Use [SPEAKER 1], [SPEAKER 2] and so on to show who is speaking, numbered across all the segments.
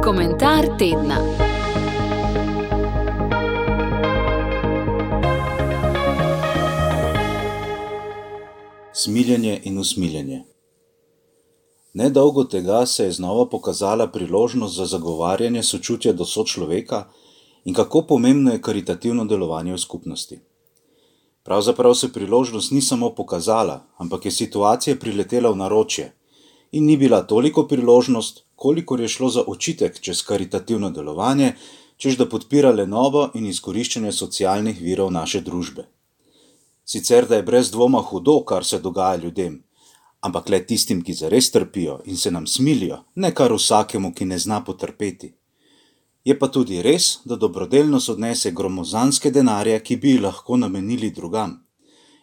[SPEAKER 1] Komentar tedna.
[SPEAKER 2] Smiljenje in usmiljenje. Nedolgo tega se je znova pokazala priložnost za zagovarjanje sočutja do sočloveka in kako pomembno je karitativno delovanje v skupnosti. Pravzaprav se priložnost ni samo pokazala, ampak je situacija priletela v naročje in ni bila toliko priložnost, kolikor je šlo za očitek čez karitativno delovanje, češ da podpira lenobo in izkoriščanje socialnih virov naše družbe. Sicer da je brez dvoma hudo, kar se dogaja ljudem, ampak le tistim, ki zares trpijo in se nam smilijo, ne kar vsakemu, ki ne zna potrpeti. Je pa tudi res, da dobrodelnost odnese gromozanske denarje, ki bi jih lahko namenili drugam,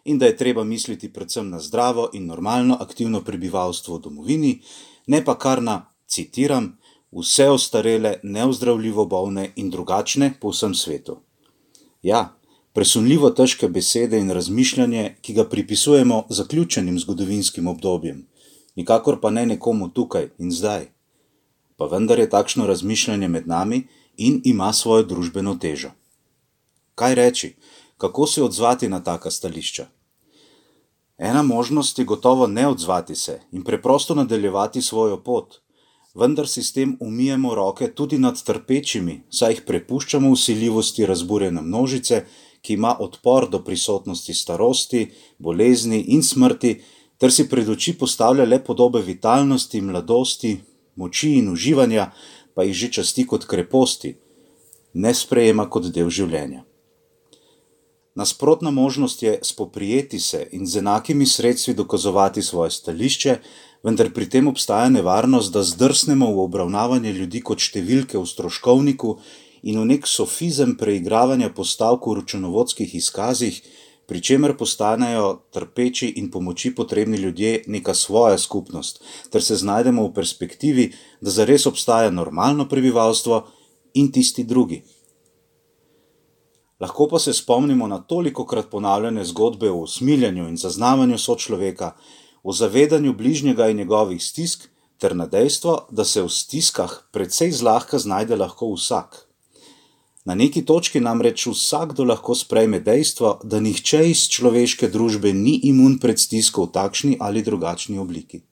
[SPEAKER 2] in da je treba misliti predvsem na zdravo in normalno aktivno prebivalstvo v domovini, ne pa kar na, citiram, vse ostarele, neozdravljivo bolne in drugačne po vsem svetu. Ja, presunljivo težke besede in razmišljanje, ki ga pripisujemo zaključenim zgodovinskim obdobjem, nikakor pa ne nekomu tukaj in zdaj. Pa vendar je takšno razmišljanje med nami in ima svojo družbeno težo. Kaj reči? Kako se odzvati na taka stališča? Ena možnost je gotovo ne odzvati se in preprosto nadaljevati svojo pot, vendar si s tem umijemo roke tudi nad trpečimi, saj jih prepuščamo vsiljivosti razburjene množice, ki ima odpor do prisotnosti starosti, bolezni in smrti, ter si pred oči postavlja le podobe vitalnosti, mladosti, moči in uživanja, pa jih že časti kot kreposti, ne sprejema kot del življenja. Nasprotna možnost je spoprijeti se in z enakimi sredstvi dokazovati svoje stališče, vendar pri tem obstaja nevarnost, da zdrsnemo v obravnavanje ljudi kot številke v stroškovniku in v nek sofizem preigravanja postavk v računovodskih izkazih, pri čemer postanejo trpeči in pomoči potrebni ljudje neka svoja skupnost, ter se znajdemo v perspektivi, da zares obstaja normalno prebivalstvo in tisti drugi. Lahko pa se spomnimo na tolikokrat ponavljane zgodbe o usmiljanju in zaznavanju sočloveka, o zavedanju bližnjega in njegovih stisk, ter na dejstvo, da se v stiskah precej zlahka znajde lahko vsak. Na neki točki namreč vsakdo lahko sprejme dejstvo, da nihče iz človeške družbe ni imun pred stisko v takšni ali drugačni obliki.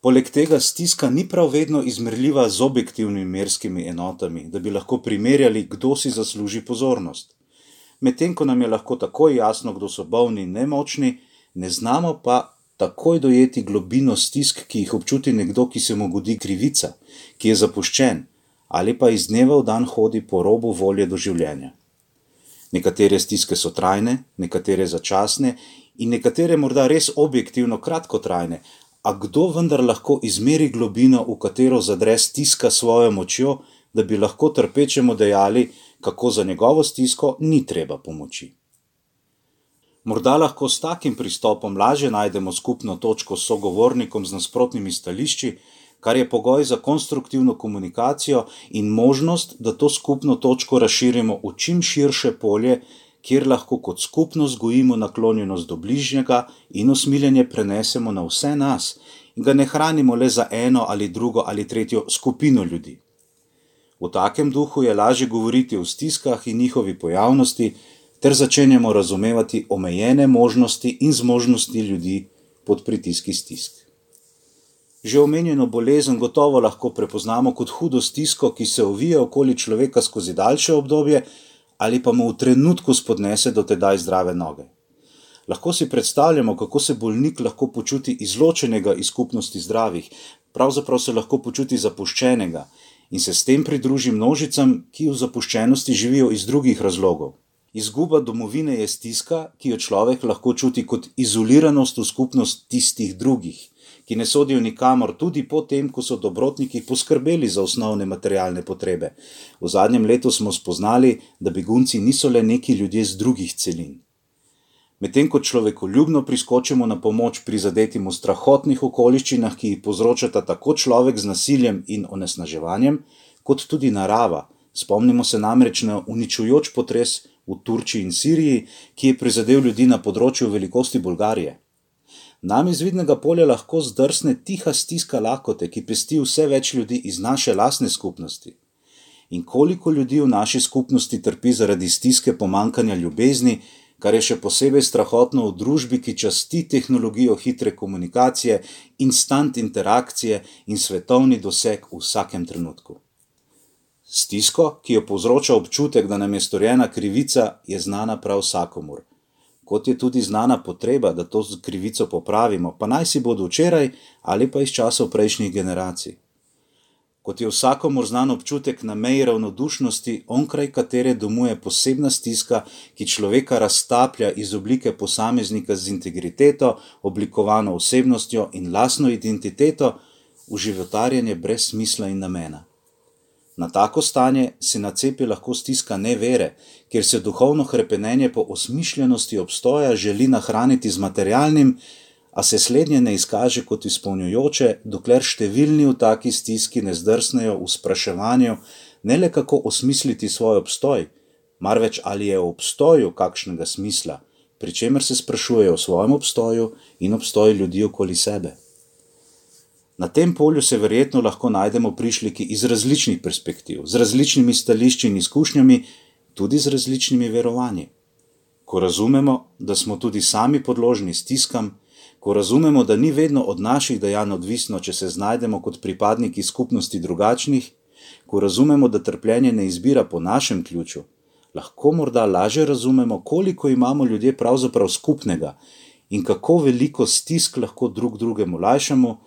[SPEAKER 2] Poleg tega stiska ni prav vedno izmerljiva z objektivnimi merskimi enotami, da bi lahko primerjali, kdo si zasluži pozornost. Medtem ko nam je lahko takoj jasno, kdo so bolni in nemočni, ne znamo pa takoj dojeti globino stisk, ki jih občuti nekdo, ki se mu godi krivica, ki je zapuščen, ali pa iz dneva v dan hodi po robu volje do življenja. Nekatere stiske so trajne, nekatere začasne in nekatere morda res objektivno kratkotrajne, a kdo vendar lahko izmeri globino, v katero zadre stiska svojo močjo, da bi lahko trpečemu dejali, kako za njegovo stisko ni treba pomoči. Morda lahko s takim pristopom lažje najdemo skupno točko s sogovornikom z nasprotnimi stališči, kar je pogoj za konstruktivno komunikacijo in možnost, da to skupno točko razširimo v čim širše polje, kjer lahko kot skupnost gojimo naklonjenost do bližnjega in usmiljenje prenesemo na vse nas in ga ne hranimo le za eno ali drugo ali tretjo skupino ljudi. V takem duhu je lažje govoriti o stiskah in njihovi pojavnosti, ter začenjamo razumevati omejene možnosti in zmožnosti ljudi pod pritiski stisk. Že omenjeno bolezen gotovo lahko prepoznamo kot hudo stisko, ki se ovije okoli človeka skozi daljše obdobje ali pa mu v trenutku spodnese do tedaj zdrave noge. Lahko si predstavljamo, kako se bolnik lahko počuti izločenega iz skupnosti zdravih, pravzaprav se lahko počuti zapuščenega in se s tem pridruži množicam, ki v zapuščenosti živijo iz drugih razlogov. Izguba domovine je stiska, ki jo človek lahko čuti kot izoliranost v skupnost tistih drugih, ki ne sodijo nikamor tudi po tem, ko so dobrotniki poskrbeli za osnovne materialne potrebe. V zadnjem letu smo spoznali, da begunci niso le neki ljudje z drugih celin. Medtem ko človekoljubno priskočimo na pomoč prizadetim v strahotnih okoliščinah, ki jih povzročata tako človek z nasiljem in onesnaževanjem, kot tudi narava. Spomnimo se namreč na uničujoč potres v Turčiji in Siriji, ki je prizadel ljudi na področju velikosti Bolgarije. Nam iz vidnega polja lahko zdrsne tiha stiska lakote, ki pesti vse več ljudi iz naše lastne skupnosti. In koliko ljudi v naši skupnosti trpi zaradi stiske pomanjkanja ljubezni, kar je še posebej strahotno v družbi, ki časti tehnologijo hitre komunikacije, instant interakcije in svetovni doseg v vsakem trenutku. Stisko, ki jo povzroča občutek, da nam je storjena krivica, je znana prav vsakomur. Kot je tudi znana potreba, da to krivico popravimo, pa naj si bodo včeraj ali pa iz časov prejšnjih generacij. Kot je vsakomur znan občutek na meji ravnodušnosti, onkraj katere domuje posebna stiska, ki človeka raztaplja iz oblike posameznika z integriteto, oblikovano osebnostjo in lastno identiteto, v životarjenje brez smisla in namena. Na tako stanje se nacepi lahko stiska nevere, kjer se duhovno hrepenenje po osmišljenosti obstoja želi nahraniti z materialnim, a se slednje ne izkaže kot izpolnjujoče, dokler številni v taki stiski ne zdrsnejo v spraševanju ne le kako osmisliti svoj obstoj, marveč ali je v obstoju kakšnega smisla, pri čemer se sprašujejo o svojem obstoju in obstoju ljudi okoli sebe. Na tem polju se verjetno lahko najdemo prišleki iz različnih perspektiv, z različnimi stališči in izkušnjami, tudi z različnimi verovanji. Ko razumemo, da smo tudi sami podložni stiskam, ko razumemo, da ni vedno od naših dejanj odvisno, če se znajdemo kot pripadniki skupnosti drugačnih, ko razumemo, da trpljenje ne izbira po našem ključu, lahko morda lažje razumemo, koliko imamo ljudje pravzaprav skupnega in kako veliko stisk lahko drug drugemu lajšamo,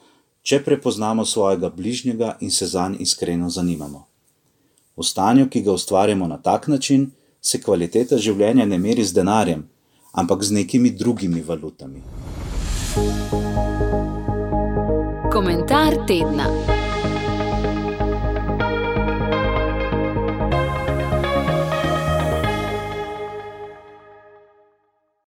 [SPEAKER 2] če prepoznamo svojega bližnjega in se zanj iskreno zanimamo. V stanju, ki ga ustvarjamo na tak način, se kvaliteta življenja ne meri z denarjem, ampak z nekimi drugimi valutami.
[SPEAKER 1] Komentar tedna.